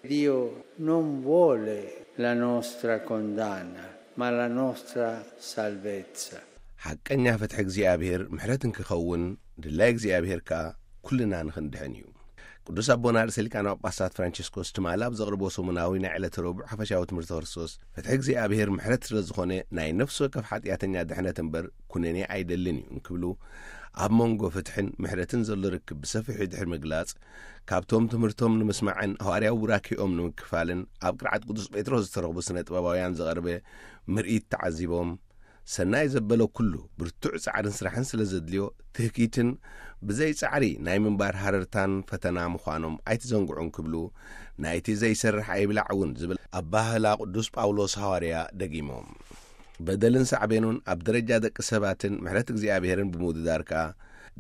Dio non vuole la nostra condanna, ma la nostra salvezza. ሓቀኛ ፍትሒ እግዚኣብሔር ምሕረት እንክኸውን ድላይ እግዚኣብሔር ከኣ ኩልና ንኽንድሕን እዩ። ቅዱስ ኣቦና ርእሰ ሊቃነ ጳጳሳት ፍራንቸስኮስ ትማሊ ኣብ ዘቕርቦ ሰሙናዊ ናይ ዕለተ ረቡዕ ሓፈሻዊ ትምህርቲ ክርስቶስ፣ ፍትሒ እግዚኣብሔር ምሕረት ስለ ዝኾነ ናይ ነፍሲ ወከፍ ሓጢኣተኛ ድሕነት እምበር ኩነኔ ኣይደልን እዩ እንክብሉ፣ ኣብ መንጎ ፍትሕን ምሕረትን ዘሎ ርክብ ብሰፊሑ ድሕሪ ምግላጽ፣ ካብቶም ትምህርቶም ንምስማዕን ሃዋርያዊ ቡራኪኦም ንምክፋልን ኣብ ቅርዓት ቅዱስ ጴጥሮስ ዝተረኽቡ ስነ ጥበባውያን ዝቐርበ ምርኢት ተዓዚቦም፣ ሰናይ ዘበለ ኩሉ ብርቱዕ ጻዕርን ስራሕን ስለ ዘድልዮ፣ ትህኪትን ብዘይ ጻዕሪ ናይ ምንባር ሃረርታን ፈተና ምዃኖም ኣይትዘንግዑ እንክብሉ፣ ናይቲ ዘይሰርሕ ኣይብላዕ እውን ዝብል ኣባህላ ቅዱስ ጳውሎስ ሃዋርያ ደጊሞም። በደልን ሳዕቤኑን ኣብ ደረጃ ደቂ ሰባትን ምሕረት እግዚኣብሔርን ብምውድዳር ከኣ፣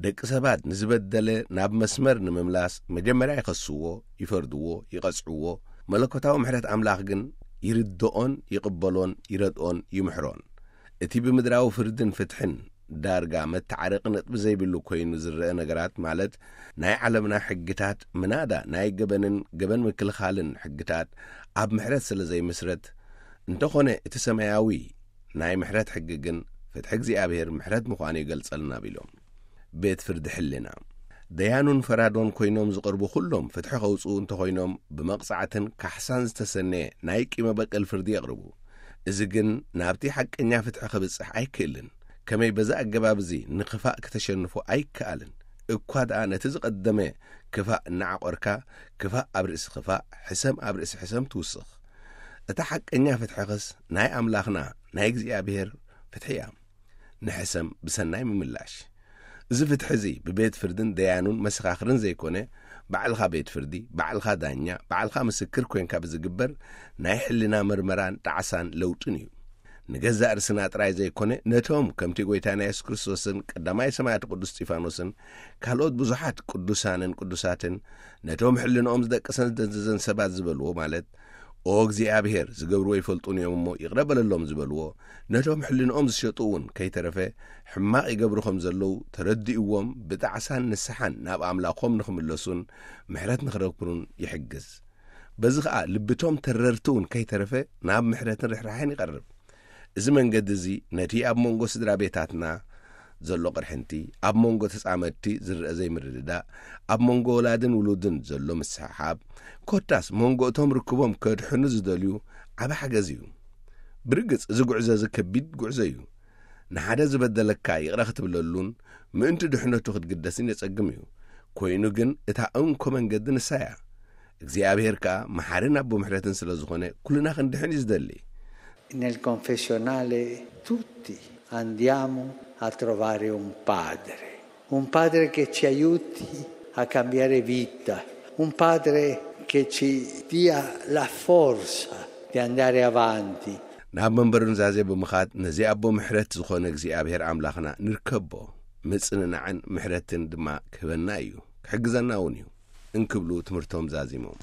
ደቂ ሰባት ንዝበደለ ናብ መስመር ንምምላስ መጀመርያ ይኸስዎ፣ ይፈርድዎ፣ ይቐጽዕዎ። መለኮታዊ ምሕረት ኣምላኽ ግን ይርድኦን ይቕበሎን ይረድኦን ይምሕሮን። እቲ ብምድራዊ ፍርድን ፍትሕን ዳርጋ መተዓረቂ ነጥቢ ዘይብሉ ኮይኑ ዝረአ ነገራት፣ ማለት ናይ ዓለምና ሕግታት፣ ምናዳ ናይ ገበንን ገበን ምክልኻልን ሕግታት ኣብ ምሕረት ስለ ዘይምስረት፣ እንተኾነ እቲ ሰማያዊ ናይ ምሕረት ሕጊ ግን ፍትሒ እግዚኣብሔር ምሕረት ምዃኑ ይገልጸልና ቢሎም። ቤት ፍርዲ ሕልና፣ ደያኑን ፈራዶን ኮይኖም ዝቐርቡ ኩሎም ፍትሒ ከውጽኡ እንተኾይኖም፣ ብመቕጻዕትን ካሕሳን ዝተሰነየ ናይ ቂመ በቀል ፍርዲ የቕርቡ። እዚ ግን ናብቲ ሓቀኛ ፍትሒ ከብጽሕ ኣይክእልን። ከመይ በዚ ኣገባብ እዚ ንኽፋእ ክተሸንፎ ኣይከኣልን። እኳ ደኣ ነቲ ዝቐደመ ክፋእ እናዓቖርካ፣ ክፋእ ኣብ ርእሲ ክፋእ፣ ሕሰም ኣብ ርእሲ ሕሰም ትውስኽ። እታ ሓቀኛ ፍትሕኽስ ናይ ኣምላኽና ናይ እግዚኣብሔር ፍትሒ እያ። ንሕሰም ብሰናይ ምምላሽ። እዚ ፍትሒ እዚ ብቤት ፍርድን ደያኑን መሰኻኽርን ዘይኮነ፣ ባዕልኻ ቤት ፍርዲ፣ ባዕልኻ ዳኛ፣ ባዕልኻ ምስክር ኮይንካ ብዝግበር ናይ ሕልና መርመራን ጣዕሳን ለውጥን እዩ። ንገዛእ ርእስና ጥራይ ዘይኮነ፣ ነቶም ከምቲ ጎይታና የሱስ ክርስቶስን ቀዳማይ ሰማዕት ቅዱስ እስጢፋኖስን ካልኦት ብዙሓት ቅዱሳንን ቅዱሳትን ነቶም ሕልንኦም ዝደቅሰን ዝደንዘዘን ሰባት ዝበልዎ፣ ማለት ኦ እግዚኣብሔር፣ ዝገብርዎ ይፈልጡን እዮም እሞ ይቕረ በለሎም ዝበልዎ፣ ነቶም ሕልንኦም ዝሸጡ እውን ከይተረፈ ሕማቕ ይገብሩ ከም ዘለዉ ተረዲእዎም ብጣዕሳን ንስሓን ናብ ኣምላኾም ንኽምለሱን ምሕረት ንኽረክቡን ይሕግዝ። በዚ ኸኣ ልብቶም ተረርቲ እውን ከይተረፈ ናብ ምሕረትን ርሕራሕን ይቐርብ። እዚ መንገዲ እዚ ነቲ ኣብ መንጎ ስድራ ቤታትና ዘሎ ቅርሕንቲ፣ ኣብ መንጎ ተጻመድቲ ዝረአ ዘይምርድዳእ፣ ኣብ መንጎ ወላድን ውሉድን ዘሎ ምስሕሓብ፣ ኮታስ መንጎ እቶም ርክቦም ከድሕኑ ዝደልዩ ዓቢ ሓገዝ እዩ። ብርግጽ እዚ ጉዕዞ እዚ ከቢድ ጉዕዞ እዩ። ንሓደ ዝበደለካ ይቕረ ክትብለሉን ምእንቲ ድሕነቱ ክትግደስን የጸግም እዩ። ኮይኑ ግን እታ እንኮ መንገዲ ንሳ እያ። እግዚኣብሔር ከኣ መሓርን ኣቦ ምሕረትን ስለ ዝኾነ ኩልና ክንድሕን እዩ ዝደሊ። Nel confessionale tutti andiamo a trovare un padre, un padre che ci aiuti a cambiare vita, un padre che ci dia la forza di andare avanti. ናብ መንበሩ ኑዛዜ ብምኻድ ነዚ ኣቦ ምሕረት ዝኾነ እግዚኣብሔር ኣምላኽና ንርከቦ። ምጽንናዕን ምሕረትን ድማ ክህበና እዩ፣ ክሕግዘና እውን እዩ እንክብሉ ትምህርቶም ዛዚሞም።